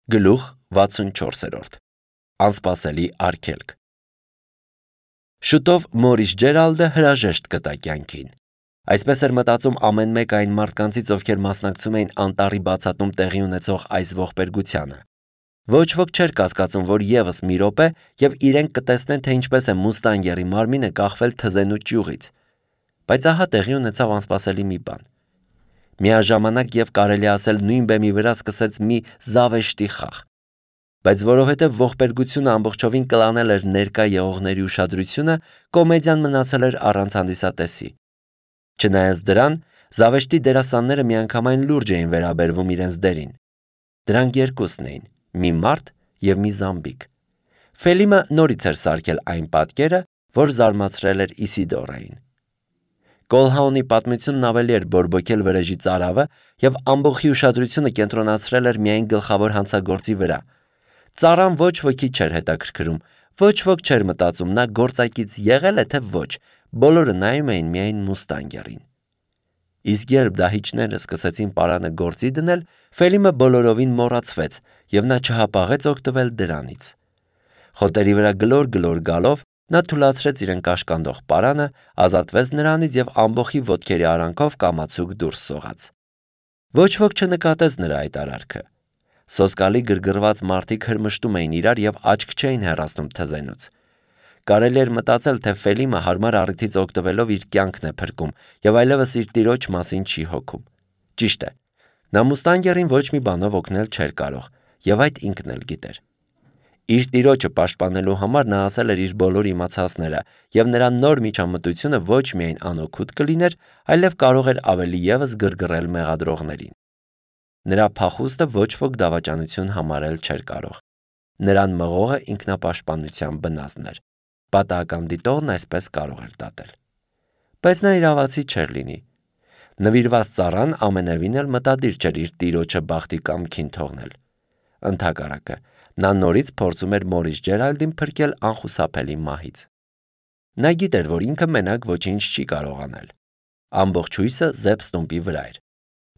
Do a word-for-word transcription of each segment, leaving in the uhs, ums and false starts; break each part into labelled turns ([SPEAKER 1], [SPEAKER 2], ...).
[SPEAKER 1] Գլուխ վաթսունչորս. Անսպասելի արգելք։ Շուտով Մորիս Ջերալդը հրաժեշտ գտա կյանքին։ Այսպես էր մտածում ամեն մեկ այն մարդկանցից, ովքեր մասնակցում էին անտառի բացատում տեղի ունեցող այս ողբերգությանը։ Ոչ ոք չէր կասկածում, որ ևս մի րոպե եւ իրենք կտեսնեն, թե ինչպես է Մուստանգերի մարմինը կախվել թզենու ճյուղից։ Բայց ահա տեղի ունեցավ անսպասելի մի բան։ Միաժամանակ եւ կարելի ասել նույն բեմի վրա սկսեց մի զավեշտի խաղ։ Բայց որովհետեւ ողբերգությունը ամբողջովին կլանել էր ներկա եղողների ուշադրությունը, կոմեդիան մնացել էր առանց հանդիսատեսի։ Չնայած դրան, զավեշտի դերասանները միանգամայն լուրջ էին վերաբերվում իրենց դերին։ Դրանք երկուսն էին՝ մի մարդ եւ մի զամբիկ։ Ֆելիմը նորից էր սարքել այն պատկերը, որ զարմացրել էր Իսիդորային։ Կոլհաունի պատմությունն ավելի էր բորբոքել վրեժի ծարավը եւ ամբողջի ուշադրությունը կենտրոնացրել էր միայն գլխավոր հանցագործի վրա։ Ծառան ոչ ոքի չէր հետաքրքրում, ոչ ոք չէր մտածում նա գործակից եղել է թե ոչ, բոլորը նայում էին միայն Մուստանգերին։ Իսկ երբ դահիճները սկսեցին պարանը գործի դնել, Ֆելիմը բոլորովին մոռացվեց եւ նա չհապաղեց օգտվել դրանից։ Խոտերի վրա գլոր-գլոր գալով նա թուլացրեց իրեն կաշկանդող պարանը, ազատվեց նրանից եւ ամբողջի ոտքերի արանքով կամացուկ դուրս սողաց։ Ոչ ոք չնկատեց նրա այդ արարքը։ Սոսկալի գրգռված մարդիկ հրմշտում էին իրար եւ աչք չէին հեռացնում թզենուց։ Կարելի էր մտածել, թե Ֆելիմը հարմար առիթից օգտվելով իր կյանքն է փրկում եւ այլևս իր տիրոջ մասին չի հոգում։ Ճիշտ է։ Նա Մուստանգերին ոչ մի բանով օգնել չէր կարող եւ այդ ինքն էլ գիտեր։ Իր տիրոջը պաշտպանելու համար նա ասել էր իր բոլոր իմացածները եւ նրա նոր միջամտությունը ոչ միայն անօգուտ կլիներ, այլև կարող էր ավելի եւս գրգռել մեղադրողներին։ Նրա փախուստը ոչ ոք դավաճանություն համարել չէր կարող։ Նրան մղողը ինքնապաշտպանության բնազդն էր։ Պատահական դիտողն այսպես կարող էր դատել։ Բայց նա իրավացի չէր լինի։ Նվիրված ծառան ամենևին էլ մտադիր չէր իր տիրոջը բախտի կամքին թողնել։ Ընդհակառակը, նա նորից փորձում էր Մորիս Ջերալդին փրկել անխուսափելի մահից։ Նա գիտեր, որ ինքը մենակ ոչինչ չի կարող անել։ Ամբողջ հույսը Զեփստումպի վրա էր։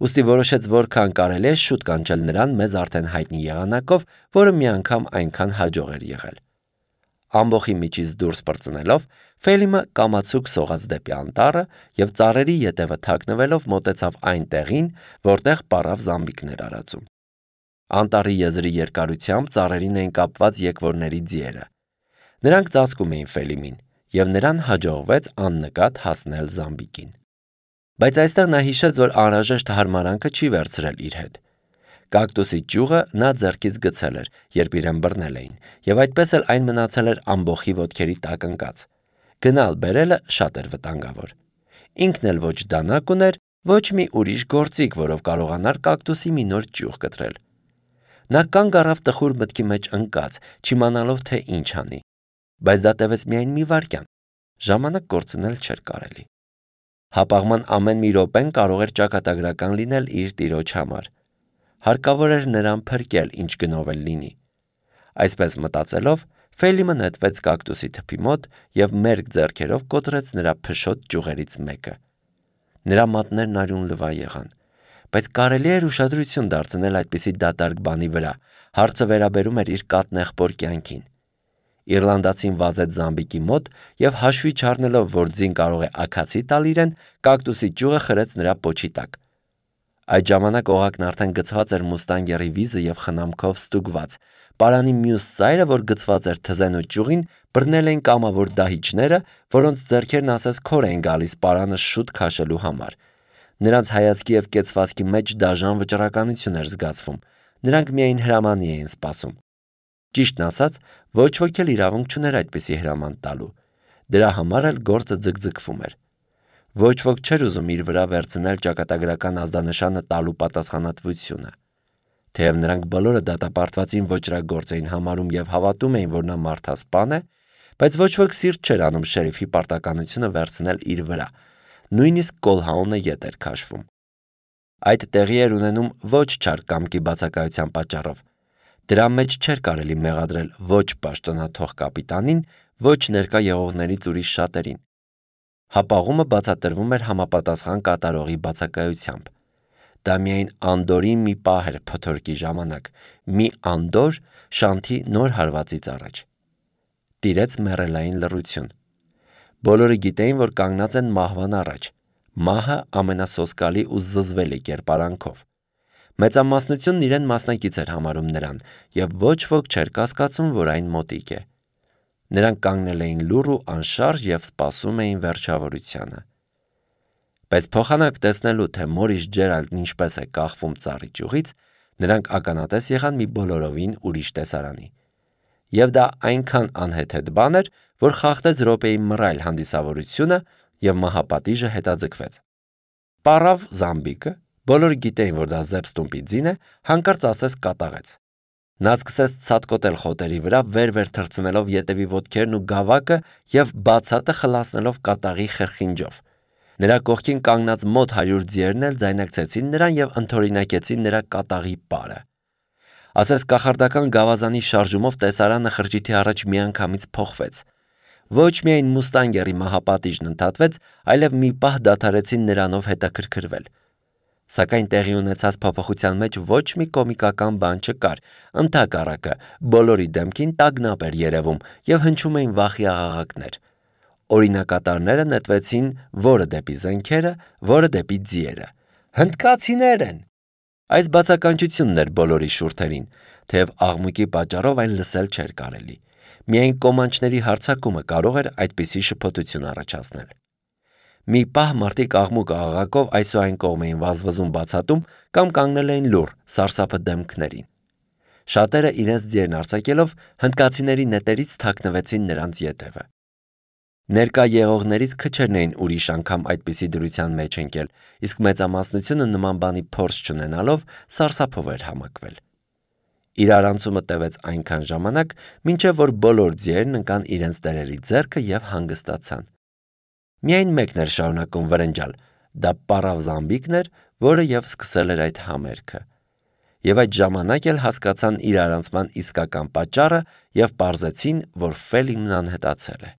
[SPEAKER 1] Ուստի որոշեց որքան կարելի է շուտ կանչել նրան մեզ արդեն հայտնի եղանակով, որը մի անգամ այնքան հաջող էր եղել։ Ամբողջի միջից դուրս պրծնելով, Ֆելիմը կամացուկ սողաց դեպի անտառը եւ ծառերի ետևը թաքնվելով մոտեցավ այն տեղին, որտեղ պառավ զամբիկներ արածում։ Անտառի եզրի երկարությամբ ծառերին էին կապված եկվորների ձիերը։ Նրանք ծածկում էին Ֆելիմին եւ նրան հաջողվեց աննկատ հասնել զամբիկին։ Բայց այստեղ նա հիշեց, որ անհրաժեշտ հարմարանքը չի վերցրել իր հետ։ Կակտուսի ճյուղը նա ձեռքից գցել էր, երբ իրեն բռնել էին, եւ այդպես էլ այն մնացել էր ամբողջի ոտքերի տակ ընկած։ Գնալ բերելը շատ էր վտանգավոր։ Ինքն էլ ոչ դանակ ուներ, ոչ մի ուրիշ գործիք, որով կարողանար կակտուսի մի նոր ճյուղ կտրել։ Նա կանգ առավ տխուր մտքի մեջ ընկած, չիմանալով թե ինչ անի։ Բայց դա տևեց միայն մի վայրկյան։ Ժամանակ կորցնել չէր կարելի։ Հապաղման ամեն մի րոպեն կարող էր ճակատագրական լինել իր տիրոջ համար։ Հարկավոր էր նրան փրկել, ինչ գնով էլ լինի։ Այսպես մտածելով, Ֆելիմը նետվեց կակտուսի թփի մոտ եւ մերկ ձեռքերով կոտրեց նրա փշոտ ճյուղերից մեկը։ Նրա մատներն արյուն լվա եղան, բայց կարելի էր ուշադրություն դարձնել այդպիսի դատարկ բանի վրա։ Հարցը վերաբերում էր իր կաթնեղբոր կյանքին։ Իռլանդացին վազեց զամբիկի մոտ եւ հաշվի չառնելով, որ ձին կարող է աքացի տալ իրեն, կակտուսի ճյուղը խրեց նրա պոչի տակ։ Այդ ժամանակ օղակն արդեն գցված էր Մուստանգերի վիզը եւ խնամքով ստուգված։ Պարանի մյուս ծայրը, որ գցված էր թզենու ճյուղին, բռնել էին կամավոր դահիճները, որոնց ձեռքերն ասես քոր էին գալիս պարանը շուտ քաշելու համար։ Նրանց հայացքի եւ կեցվածքի մեջ դաժան վճռականություն էր զգացվում։ Նրանք միայն հրամանի էին սպասում։ Ճիշտն ասած, ոչ ոք էլ իրավունք չուներ այդպիսի հրաման տալու։ Դրա համար էլ գործը ձգձգվում էր։ Ոչ ոք չէր ուզում իր վրա վերցնել ճակատագրական ազդանշանը տալու պատասխանատվությունը։ Թեև նրանք բոլորը դատապարտվածին ոճրագործ էին համարում եւ հավատում էին, որ նա մարդասպան է, բայց ոչ ոք սիրտ չէր անում շերիֆի պարտականությունը վերցնել իր վրա։ Նույնիսկ Կոլհաունը ետ էր քաշվում։ Այդ տեղի էր ունենում ոչ չար կամքի բացակայության պատճառով։ Դրա մեջ չէր կարելի մեղադրել ոչ պաշտոնաթող կապիտանին, ոչ ներկա եղողներից ուրիշ շատերին։ Հապաղումը բացատրվում էր համապատասխան կատարողի բացակայությամբ։ դա միայն անդորի մի պահ էր փոթորկի ժամանակ, մի անդոր շանթի նոր հարվածից առաջ։ Տիրեց մեռելային լռություն։ Բոլորը գիտեին, որ կանգնած են մահվան առաջ, մահը ամենասոսկալի ու զզվելի կերպարանքով։ Մեծամասնությունն իրեն մասնակից էր համարում նրան, եւ ոչ ոք չէր կասկածում, որ այն մոտիկ է։ Նրանք կանգնել էին լուռ ու անշարժ եւ սպասում էին վերջավորությանը։ Բայց փոխանակ տեսնելու, թե Մորիս Ջերալդն ինչպես է կախվում ծառի ճյուղից, նրանք ականատես եղան մի բոլորովին ուրիշ տեսարանի։ Եվ դա այնքան անհեթեթ բան էր, որ խախտեց րոպեի մռայլ հանդիսավորությունը եւ մահապատիժը հետաձգվեց։ Պարավ Զամբիկը, բոլորը գիտեին, որ դա Զեփս Տումպի ձին է, հանկարծ ասես կատաղեց։ Նա սկսեց ցատկոտել խոտերի վրա, վեր-վեր թռցնելով ետևի ոտքերն ու գավակը եւ բացատը խլացնելով կատաղի խրխինջով։ Նրա կողքին կանգնած մոտ հարյուր ձիերն էլ ձայնարկեցին նրան եւ ընդօրինակեցին նրա կատաղի պարը։ Ասես կախարդական գավազանի շարժումով տեսարանը խրճիթի առաջ միանգամից փոխվեց։ Ոչ միայն Մուստանգերի մահապատիժն ընդհատվեց, այլև մի պահ դադարեցին նրանով հետաքրքրվել։ Սակայն տեղի ունեցած փոփոխության մեջ ոչ մի կոմիկական բան չկար, ընդհակառակը բոլորի դեմքին տագնապ էր երևում եւ հնչում էին վախի աղաղակներ։ Օրինակատարները նետվեցին որը դեպի զենքերը, որը դեպի ձիերը։ Հնդկացիներ են։ Այս բացականչությունն էր բոլորի շուրթերին, թեև աղմուկի պատճառով այն լսել չէր կարելի։ Միայն կոմանչների հարձակումը կարող էր այդպիսի շփոթություն առաջացնել։ Մի պահ մարդիկ աղմուկ աղաղակով այս ու այն կողմ էին վազվզում բացատում կամ կանգնել էին լուռ, սարսափը դեմքներին։ Շատերը իրենց ձիերն արձակելով հնդկացիների նետերից թաքնվեցին նրանց ետևը։ Ներկա եղողներից քչերն էին ուրիշ անգամ այդպիսի դրության մեջ ընկել, իսկ մեծամասնությունը նման բանի փորձ չունենալով սարսափով էր համակվել։ Իրարանցումը տևեց այնքան ժամանակ, մինչև որ բոլոր ձիերն ընկան իրենց տերերի ձեռքը եւ հանգստացան։ Միայն մեկն էր շարունակում վրնջալ, դա Պարավ Զամբիկն էր, որը եւ սկսել էր այդ համերգը։ Եվ այդ ժամանակ էլ հասկացան իրարանցման իսկական պատճառը եւ պարզեցին, որ Ֆելիմն անհետացել է։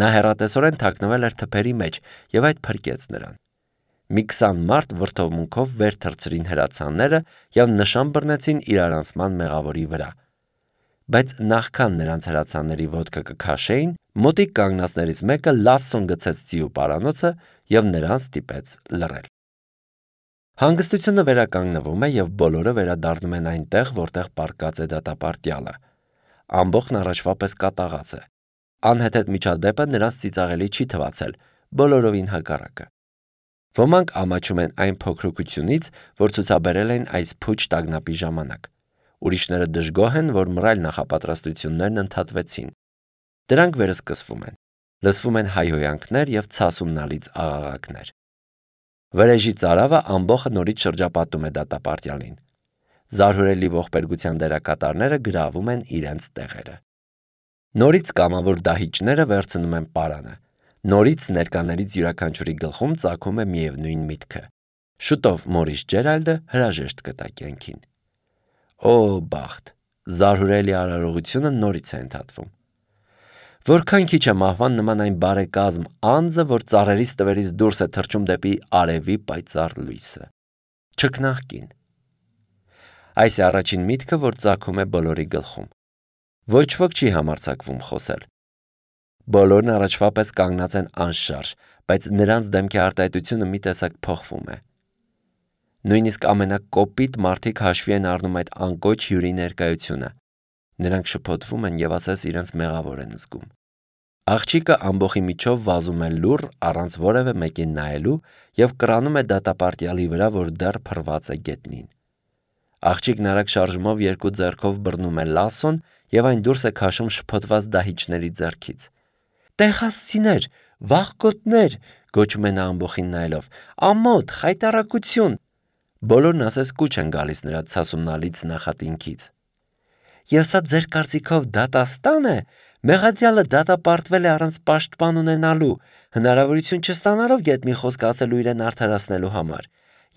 [SPEAKER 1] Նա հեռատեսորեն թաքնվել էր թփերի մեջ եւ այդ փրկեց նրան։ Մի քսան մարդ վրդովմունքով վեր թռցրին հրացանները եւ նշան բռնեցին իրարանցման մեղավորի վրա։ Բայց նախքան նրանց հրացանների ոտքը կքաշեին, մոտիկ կանգնածներից մեկը լասսոն գցեց ձիու պարանոցը եւ նրան ստիպեց լռել։ Հանգստությունը վերականգնվում է եւ բոլորը վերադառնում են այնտեղ, որտեղ պառկած է դատապարտյալը։ Ամբողջն առաջվա պես կատաղած է։ Անհեթեթ միջադեպը նրանց ծիծաղելի չի թվացել, բոլորովին հակառակը։ Ոմանք ամաչում են այն փոքրությունից, որ ցուցաբերել են այս փուչ տագնապի ժամանակ։ Ուրիշները դժգոհ են, որ մռայլ նախապատրաստություններն ընդհատվեցին։ Դրանք վերսկսվում են։ Լսվում են հայհոյանքներ եւ ցասումնալից աղաղակներ։ Վրեժի ծարավը ամբողջը նորից շրջապատում է դատապարտյալին։ Զարհուրելի ողբերգության դերակատարները գրավում են իրենց տեղերը։ Նորից կամավոր դահիճները վերցնում են պարանը։ Նորից ներկաներից յուրաքանչյուրի գլխում ծագում է միևնույն միտքը։ Շուտով Մորիս Ջերալդը հրաժեշտ կտա կյանքին։ Օ բախտ, զարհուրելի արարողությունը նորից է ընդհատվում։ Որքան քիչ է մահվան նման այն բարեկազմ անձը, որ ծառերից տվերից դուրս է թռչում դեպի արևի պայծառ լույսը։ Չքնաղկին։ Այս է առաջին միտքը, որ ծագում է բոլորի գլխում։ Ոչ ոք չի համարձակվում խոսել։ Բոլորն առաջվա պես կանգնած են անշարժ, բայց նրանց դեմքի արտահայտությունը մի տեսակ փոխվում է։ Նույնիսկ ամենակոպիտ մարդիկ հաշվի են առնում այդ անկոչ հյուրի ներկայությունը։ Նրանք շփոթվում են եւ ասես իրենց մեղավոր են զգում։ Աղջիկը ամբողջի միջով վազում է լուռ, առանց որևէ մեկին նայելու եւ կռանում է դատապարտյալի վրա, որ դեռ փռված է գետնին։ Աղջիկն արագ շարժումով երկու ձեռքով բռնում է լասոն եւ այն դուրս է քաշում շփոթված դահիճների ձեռքից։ Տեխասցիներ, վախկոտներ, գոչում է նա ամբողջին նայելով։ Ամոթ, խայտառակություն։ Բոլորն ասես կուչ են գալիս նրա ցասումնալից նախատինքից։ Եվ սա ձեր կարծիքով դատաստան է։ Մեղադրյալը դատապարտվել է առանց պաշտպան ունենալու, հնարավորություն չստանալով գետ մի խոսք ասելու իրեն արդարացնելու համար։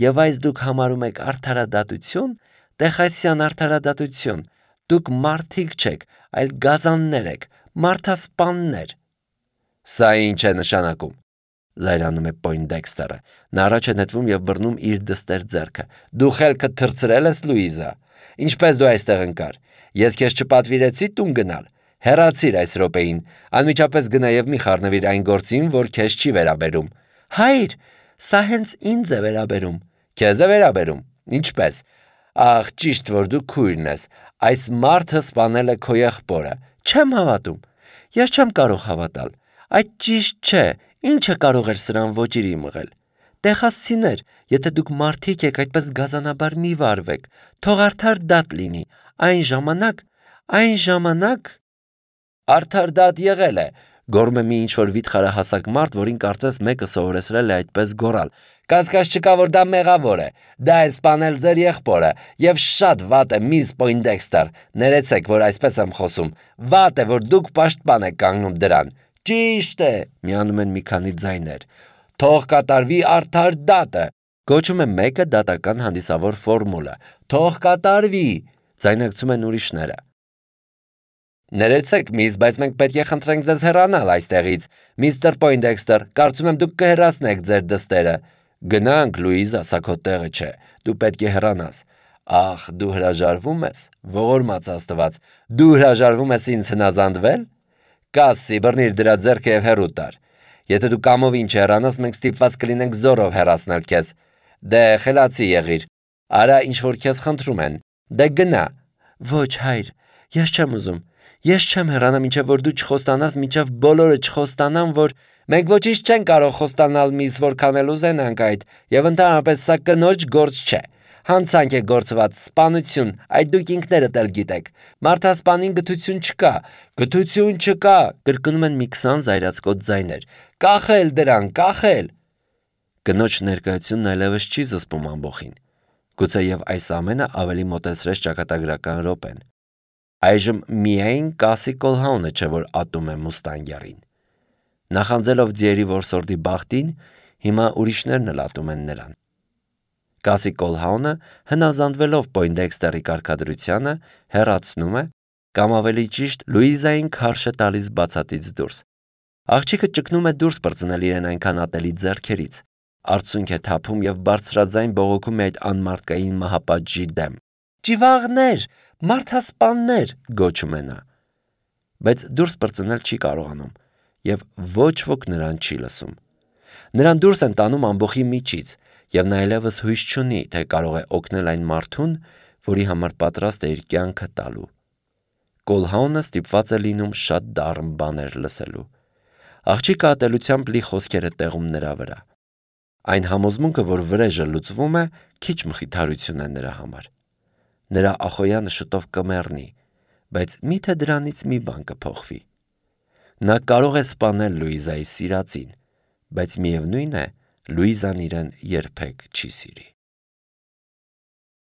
[SPEAKER 1] Եվ այս դուք համարում եք արդարադատություն, տեխասյան արդարադատություն։ Դուք մարդիկ չեք, այլ գազաններ եք, մարդասպաններ։ Սա ինչ է նշանակում։ զայրանում է Պոյնդեքստերը։ Նա առաջ է նետվում եւ բռնում իր դստեր ձեռքը։ Դու խելքը թռցրել ես, Լուիզա։ Ինչպես դու այստեղ ընկար։ Ես քեզ չպատվիրեցի տուն գնալ։ Հեռացիր այս րոպեին։ Անմիջապես գնա եւ մի խառնվիր այն գործին, որ քեզ չի վերաբերում։ Հայր, սա հենց ինձ է վերաբերում։ Քեզ է վերաբերում։ Ինչպես։ Ախ, ճիշտ որ դու քույրն ես։ Այս մարդը սպանել է քո եղբորը։ Չեմ հավատում։ Ես չեմ կարող հավատալ։ Այդ ճիշտ չէ։ Ինչը կարող էր սրան ոչիրի մղել։ Տեխասցիներ, եթե դուք մարդիկ եք, այդպես գազանաբար մի վարվեք։ Թող արդար դատ լինի։ Այն ժամանակ, այն ժամանակ արդար դատ եղել է։ Գոռում է մի ինչ-որ վիթխարահասակ մարդ, որին կարծես մեկը սովորեցրել է այդպես գոռալ։ Կասկած չկա, որ դա մեղավոր է։ Դա է սպանել ձեր եղբորը։ Եվ շատ վատ է, միս Պոյնդեքստեր։ Ներեցեք, որ այսպես եմ խոսում։ Վատ է, որ դուք պաշտպան եք կանգնում դրան։ Ճիշտ է, միանում են մի քանի ձայներ։ Թող կատարվի արդար դատը։ Գոչում է մեկը դատական հանդիսավոր ֆորմուլը։ Թող կատարվի, ձայնարկում են ուրիշները։ Ներեցեք, միս, բայց մենք պետք է խնդրենք ձեզ հեռանալ այստեղից։ Միստր Պոյնդեքստեր, կարծում եմ դուք կհեռացնեք ձեր դստերը։ Գնանք, Լուիզա, սա քո տեղը չէ։ Դու պետք է հեռանաս։ Ախ, դու հրաժարվում ես։ Ողորմած Աստված, դու հրաժարվում ես ինձ հնազանդվել։ Կասի, բռնիր դրա ձեռքը եւ հեռու տար։ Եթե դու կամովին չհեռանաս, մենք ստիպված կլինենք զորով հեռացնել քեզ։ Դե խելացի եղիր։ Արա, ինչ որ քեզ խնդրում են։ Դե գնա։ Ոչ, հայր, ես չեմ ուզում։ Ես չեմ հեռանա, մինչև որ դու չխոստանաս, մինչև բոլորը չխոստանան, որ մենք ոչինչ չեն կարող խոստանալ, միս, որքան էլ ուզենանք այդ, եւ ընդհանրապես սա կնոջ գործ չէ։ Հանցանք է գործված, սպանություն, այդ դուք ինքներդ էլ գիտեք։ Մարդասպանին գթություն չկա, գթություն չկա, կրկնում են մի քսան զայրացկոտ ձայներ։ Կախել դրան, կախել։ Կնոջ ներկայությունն այլևս չի զսպում ամբոխին։ Գուցե եւ այս ամենը ավելի մոտեցրեց ճակատագրական րոպեն։ Այժմ միայն Կասի Կոլհաունը չէ, որ ատում է Մուստանգերին։ Նախանձելով ձիերի որսորդի բախտին, հիմա ուրիշներն էլ ատում են նրան։ Կասի Կոլհաունը, հնազանդվելով Պոյնդեքստերի կարգադրությանը, հեռացնում է, կամ ավելի ճիշտ Լուիզային քարշ է տալիս բացատից դուրս։ Աղջիկը ճկնում է դուրս պրծնել իրեն այնքան ատելի ձեռքերից, արցունք է թափում եւ բարձրաձայն բողոքում է այդ անմարդկային մահապատժի դեմ։ Ճիվաղներ, մարդասպաններ, գոչում է նա։ Բայց դուրս պրծնել չի կարողանում, եւ ոչ ոք նրան չի լսում։ Նրան դուրս են տանում ամբոխի միջից, եւ նա այլևս հույս չունի, թե կարող է օգնել այն մարդուն, որի համար պատրաստ է իր կյանքը տալու։ Կոլհաունը ստիպված է լինում շատ դառն բաներ լսելու։ Աղջիկը ատելությամբ լի խոսքեր է տեղում նրա վրա։ Այն համոզմունքը, որ վրեժը լուծվում է, քիչ մխիթարություն է նրա համար։ Նրա ախոյանը շուտով կմեռնի, բայց միթե դրանից մի բան կփոխվի։ Նա կարող է սպանել Լուիզայի սիրածին, բայց միևնույն է, Լուիզան իրեն երբեք չի սիրի։